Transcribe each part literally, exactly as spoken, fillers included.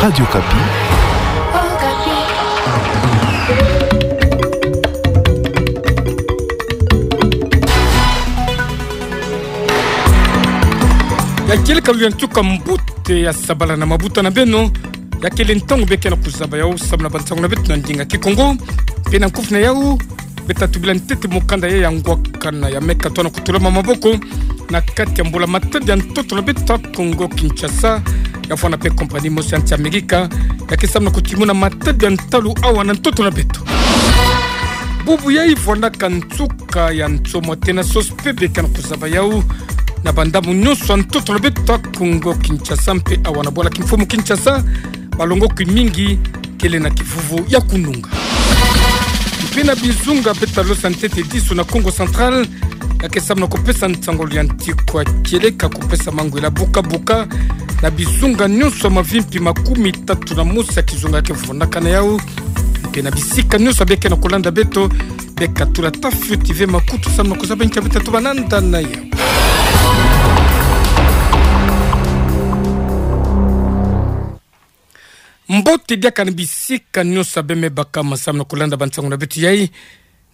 Radio Okapi. Ya kieleka luyantuka mbote ya sabala na mabuta na beno. Ya kele ntangu beke na kuzaba yau, samu na bansango na beto na ndinga Kikongo. Mpe na nkufi na yau, beta tubila ntete mokanda ya ngwakana ya me katona kutulama maboko na kati ya mbula-matadi ya ntoto na beto ya Kongo Kinshasa, ya vwanda mpe compagnie mosi ya nsi Amerika, ya ke samu na kutimuna matadi ya ntalu awa na ntoto na beto. Bubu yai vwandaka nsuka ya nsomo tena sosi mpe beke na kuzaba yau na bandambu nyonso ya ntoto na beto ya Kongo Kinshasa mpe awa na bwala kimfumu Kinshasa, balongoki mingi kele na kivuvu ya kununga. Mpe na bizunga beta losa ntete disu na Kongo Central, ya ke samu na kupesa nsango ya ntikwa kieleka kupesa mangwela buka-buka na bizunga nyonso ya mavimpi makumi tatu na mosi ya kizunga ya ke vunaka na yau. Mpe na bisika nyonso beke na kulanda beto, beka tula tafioti ve makutu samu na kuzaba nkia beta tuba nanda na yau. Mbote diaka na bisika nyonso beme baka masamu na kulanda bansango na beto yai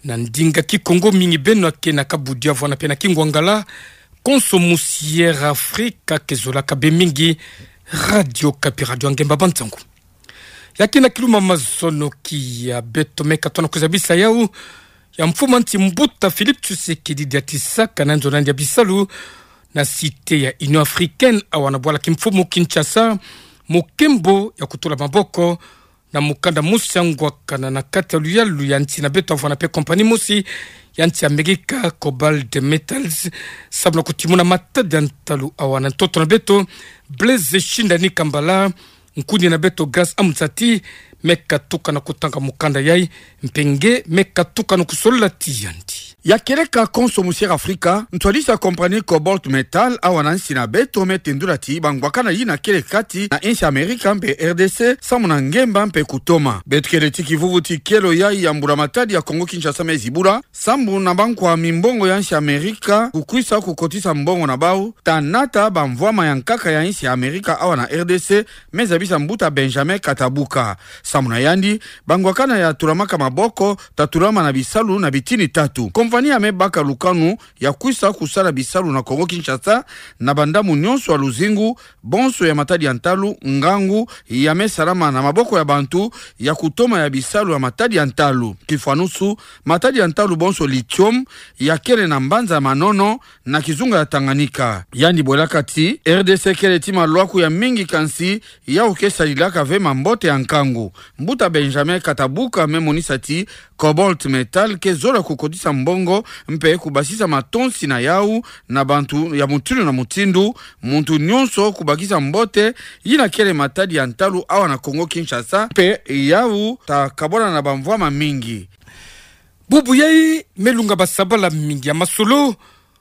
na ndinga Kikongo, mingi beno ya ke na kabudia vwanda mpe na kingwangala. Konso musi Air Afrika ke zolaka bê mingi Radio Okapi, radio ya ngemba bansango. Ya ke na kiluma mazono kia beto, me katona kuzabisa yau ya mfumu a nsi mbuta Félix Tshisekedi diatisaka na nzo na yandi ya bisalu na Cité ya Union Africaine awa na bwala kimfumu Kinshasa, mokembo ya kutula maboko na mokanda mosi ya ngwakana na kati ya luyalu ya nsi na beto ya vwanda mpe compagnie mosi ya nsi Amerika, Cobalt Metals, samu na kutimuna matadi ya ntalu awa na ntoto na beto. Blaise Shindani Kambala, nkundi na beto Grace Amzati, me katuka na kutanga mokanda yai, mpe nge me katuka na kusolola ti yandi. Ya kieleka konso musi Air Afrika, ntwadisi ya compagnie Cobalt Metal awa na nsi na beto me tendula ti bangwakana yina kele kati na insi Amerika mpe R D C samu na ngemba mpe kutoma. Beto kele ti kivuvu ti kielo yai ya mbula-matadi ya Kongo Kinshasa me zibula, samu na bankwa mimbongo ya insi Amerika kukwisa kukotisa mbongo na bau, ta nata bamvwama ya nkaka ya insi Amerika awa na R D C, me zabisa mbuta Benjamin Katabuka. Samu na yandi, bangwakana ya tulamaka maboko ta tulama na bisalu na bitini tatu. Compagnie ya me baka lukanu ya kwisa kusala bisalu na Kongo Kinshasa na bandambu nyonso ya luzingu, bonso ya matadi ya ntalu, ngangu ya me salama na maboko ya bantu, ya kutoma ya bisalu ya matadi ya ntalu. Kifwanusu, matadi ya ntalu bonso lithium ya kele na mbanza ya Manono, na kizunga ya Tanganyika. Yandi bwelaka ti R D C kele ti malwaku ya mingi, kansi yau ke salilaka ve mambote ya nkangu. Mbuta Benjamin Katabuka me monisa ti Cobalt Metal ke zola kukotisa mbongo mpe kubasisa matonsi na yau na bantu ya mutindu na mutindu, muntu nyonso kubakisa mbote yina kele matadi ya ntalu awa na Kongo Kinshasa, mpe yau ta kabwana na bamvwama mingi. Bubu yai me lunga basabala mingi ya masolo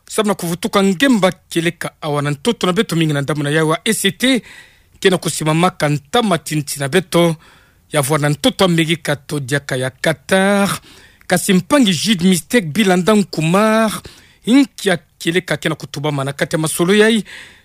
samu na kuvutuka ngemba kieleka awa na ntoto na beto, mingi na ndambu na yau ya E C T, ke na kusimamaka ntama ti nsi na beto ya vwanda ntoto Amerika to diaka ya Qatar. Kasi mpangi Jude Mistake Bilanda Nkumar, inkia kieleka ke na kutubama na kati ya masolo yai,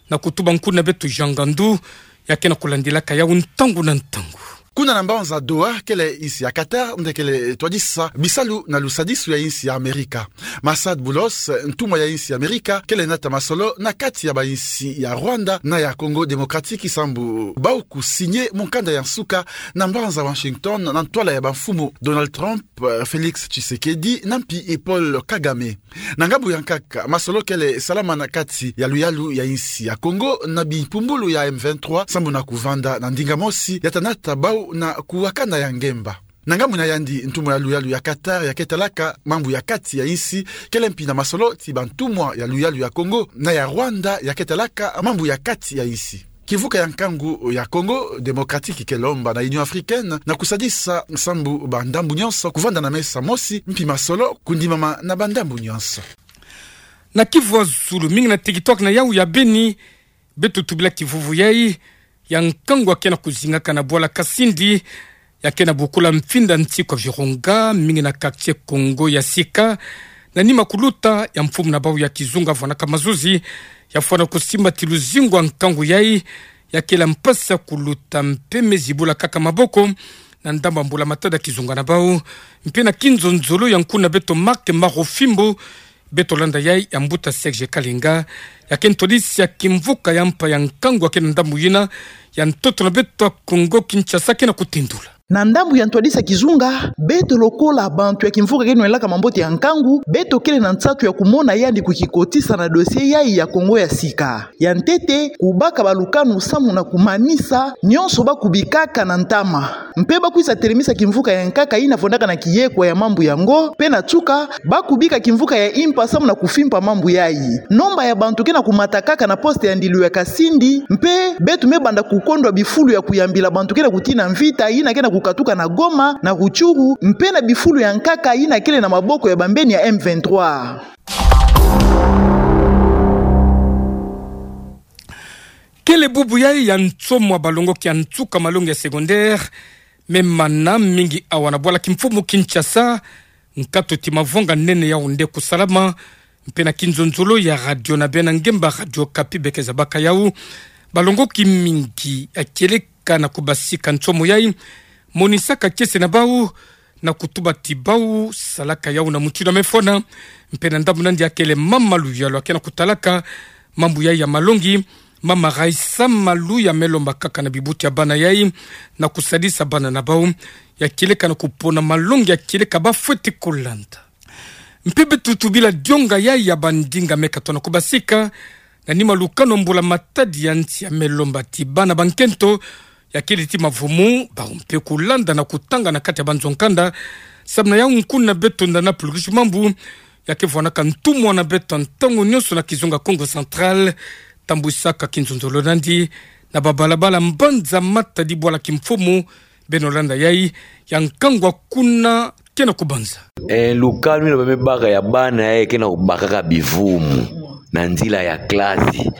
na kutuba nkundi na beto Jean Ngandu, ya ke na kulandilaka yau ntangu na ntangu. Kuna na mbanza Doha, kele insi ya Qatar nde kele twadisa bisalu na lusadisu ya insi ya Amerika. Massad Boulos, ntumwa ya insi ya Amerika, kele nata masolo na kati ya bainsi ya Rwanda na ya Congo Démocratique sambu bau kusigne mokanda ya nsuka na mbanza Washington na ntwala ya bamfumu Donald Trump, Félix Tshisekedi na mpi Paul Kagame. Na ngambu ya nkaka, masolo kele salama na kati ya luyalu ya insi ya Congo na bimpumbulu ya M vingt-trois, sambu na kuvanda na ndinga mosi ya ta nata bau na kuwakana ya ngemba. Na ngambu na yandi, ntumwa ya luyalu ya Qatar ya ke talaka mambu ya kati ya insi kele mpi na masolo ti bantumwa ya luyalu ya Congo na ya Rwanda ya ke talaka mambu ya kati ya insi. Kivuka ya nkangu ya Congo Démocratique ke lomba na Union Africaine na kusadisa sambu bandambu nyonso kuvanda na mesa mosi, mpi masolo kundimama na bandambu nyonso. Na kivu ya zulu, mingi na territoire na yau ya Beni, beto tubila kivuvu yai ya nkangu ya ke na kuzingaka na bwala Kasindi, ya ke na bokula mfinda nsi kwa Virunga, mingi na quartier Congo ya sika, na nima kuluta ya mfumu na bau ya kizunga vwanaka mazuzi, ya fwana kusimba ti luzingu ya nkangu yai, ya kele mpasi ya kuluta mpe me zibula kaka maboko, na ndambu ya mbula matadi ya kizunga na bau. Mpe na kinzonzolo ya nkuna beto Marc Marofimbo, beto landa yai ya mbuta Serge Kalinga, ya ke ntwadisi ya kimvuka ya mpa ya nkangu ya ke na ndambu yina ya ntoto na beto ya Kongo Kinshasa ke na kutindula. Na ndambu ya ntwadisi ya kizunga, beto lokola bantu ya kimvuka ke nwelaka mambote ya nkangu, beto kele na nsatu ya kumona yandi kukikotisa na dossier yai ya Kongo ya sika. Ya ntete, kubaka balukanu samu na kumanisa nyonso ba kubikaka na ntama. Mpe ba kwiza telemisa kimvuka ya nkaka yina fondaka na kiyekwa ya mambu yango, mpe na nsuka, ba kubika kimvuka ya impa samu na kufimpa mambu yai. Nomba ya bantu ke na kumata kaka na poste ya ndilu ya Kasindi, mpe beto me banda kukondwa bifulu ya kuyambila bantu ke na kutina mvita yina ke na kukatuka na Goma, na Rutshuru, mpe na bifulu ya nkaka yina kele na maboko ya bambeni ya M vingt-trois. Kele bubu yai ya nsomo ya balongoki ya nsuka malongi ya secondaire me mana mingi awa na bwala kimfumu Kinshasa, nkatu ti mavonga nene Yaoundé kusalama, mpe na kinzonzolo ya radio na bena ngemba Radio Okapi beke zabaka yau. Balongoki mingi ya kieleka na kubasika nsomo yai, monisaka kiese na bau, na kutuba ti bau salaka yau na mutindu ya mefona. Mpe na ndambu nandi ya kele mama Luyalu ya ke na kutalaka mambu yai ya malongi, mama Raissa Malu ya me lomba kaka na bibuti ya bana yai na kusadisa bana na bau, ya kieleka na kupona malongi ya kieleka ba fweti kulanda. Mpe beto tubila dionga yai ya bandinga me katono kubasika, na nima lukanu mbula matadi ya nsi ya me lomba ti bana ba nkento, ya kele ti mavumu, bau mpe kulanda na kutanga na kati ya banzo nkanda, samu na yau nkuna beto Ndana Plurish Mambu, ya ke vwanaka ntumwa na beto ntangu nyonso na kizunga Kongo Central, tambwisaka kinzonzolo nandi na babalabala mbanza matadi bwala kimfumu, beno landa yai, ya nkangu kuna ke na kubanza. Eh, lukanu yina ba me baka ya bana yai ke na kubakaka bivumu na nzila ya classe.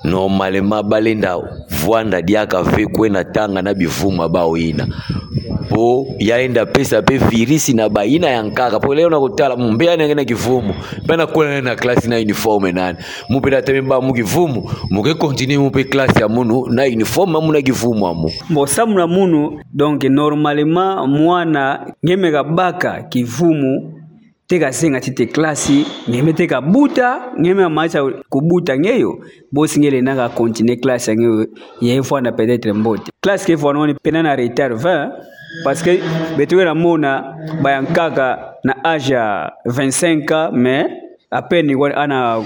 Normalement ba lenda vwanda diaka ve kwenda tanga na bivumu ya bau yina. Po ya lenda pesa mpe virisi na bayina ya nkaka. Po leo na kutala mu mbe yandi ke na kivumu, mpe na kwenda na classe na uniforme nani. Mu mpe tata me baka mu kivumu, mu ke continuer mu mpe classe ya munu na uniforme ya munu na kivumu ya mu. Bon, samu na munu, donc, normalement, mwana nge me kabaka kivumu, te kazenga ntete classe, nge me te kabuta, nge me kamanisa kubuta nge yo, bosi nge lenda ka continuer classe ya nge yo, ye vwanda peut-être mbote. Classe ke vwanda ni pena na retard vingt, parce que beto ke na mona ba ya nkaka na âge ya vingt-cinq ans, mais à peine kwa ana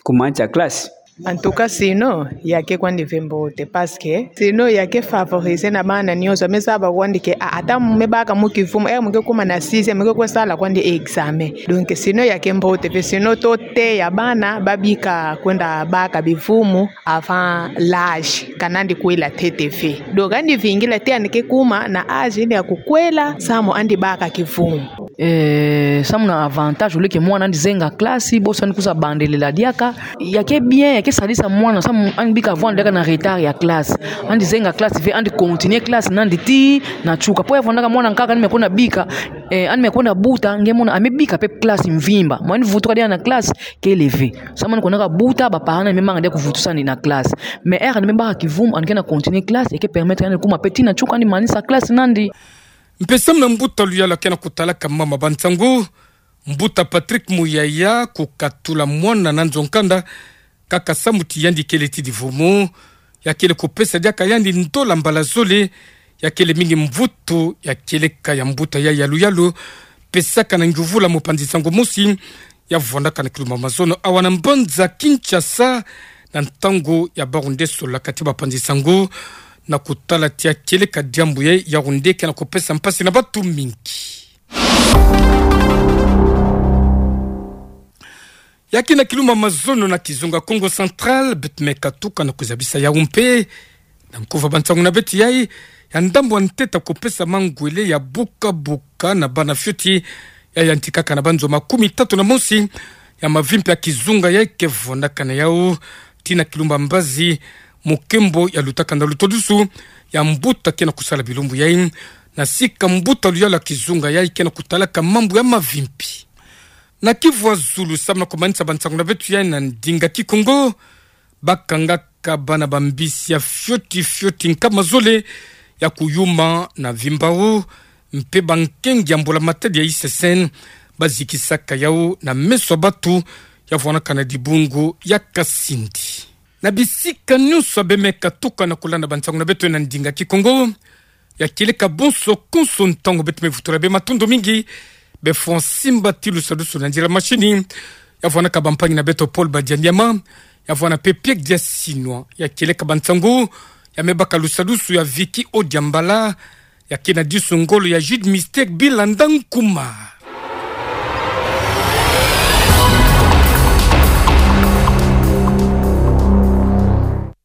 kumanisa classe. En tout cas, sinon, ya ke kwandi ve mbote, parce que sinon ya ke favoriser na bana nyonso, me zaba kwandi ke, ah, ata mu me baka mu kivumu, eh, mu ke kuma na sixième, mu ke kwe sala kwandi examen. Donc, sinon ya ke mbote ve, sinon to teya bana ba bika kwenda baka bivumu avant l'âge, ka nandi kwela ntete ve. Donc, andi vingila te andi ke kuma na âge ya kukwela, samu andi baka kivumu. Eh, samu na avantage, au lieu que mwana andi zenga classe, bosi andi kwiza bandelela diaka. Ya ke bien, ya ke sadisa mwana, samu andi bika vwanda diaka na retard ya classe. Andi zenga classe ve, andi continuer classe nandi tii na nsuka. Po ya vwandaka mwana nkaka andi me kwenda bika, eh, andi me kwenda buta, nge mona a me bika mpe classe mvimba. Mwana andi vutuka diaka na classe, kele ve. Samu andi kwendaka buta, ba parents nandi me manga diaka kuvutusa andi na classe. Mais heure andi me baka kivumu, andi ke na continuer classe, ya ke permettre andi kuma mpe tii na nsuka andi manisa classe nandi. Mpe samu na mbuta Luyalu ya ke na kutalaka mama ba nsangu, mbuta Patrick Muyaya, kukatula mwana na nzo nkanda, kaka samu ti yandi kele ti divumu, ya kele kupesa diaka yandi ndola mbala zole, ya kele mingi mvutu ya kieleka ya mbuta yai ya Luyalu, pesaka na nguvula mopanzi nsangu mosi, ya vwandaka na kilumbu ya mazono awa na mbanza Kinshasa, na ntangu ya bau nde solaka ti bapanzi nsangu, na kutala ti ya kieleka diambu yai Yaoundé ke na kupesa mpasi na batu mingi. Ya ke na kilumbu ya mazono na kizunga Kongo Central, beto me katuka na kuzabisa yau mpe na nkuva ba nsangu na beto yai, ya ndambu ya ntete kupesa mangwele ya buka-buka na bana fioti, ya yantikaka na banzo makumi tatu na mosi, ya mavimpi ya kizunga yai ke vwandaka na yau, tii na kilumbu ya mbazi, mu nkembo ya lutaka na lutodusu ya mbuta ke na kusala bilumbu yai, na sika mbuta Luyalu ya kizunga yai ke na kutalaka mambu ya mavimpi. Na kivu ya zulu, samu na kumanisa ba nsangu na beto yai na ndinga Kikongo, bakanga bakabana bambisi ya fioti fioti nkama zole ya kuyuma na vimbao, mpe bankengi ya mbula matadi ya I C C N bazikisaka yau na meso ya batu, ya vwanaka na dibungu ya Kasindi. Na bisika nyonso bemeka tuka na kulanda bansangu na beto na ndinga Kikongo, ya kieleka bonso konso ntangu beto mevutula bê matondo mingi, be fwa simba ti lusadusu na nzila mashini, ya vwanaka bampangi na beto Paul Badianyama, ya vwana pe Pierre Diasinwa, ya kieleka bansangu, ya mebaka lusadusu ya Vicky Odiambala, ya kena disu ngolo ya Jude Mystère Bilanda Nkuma.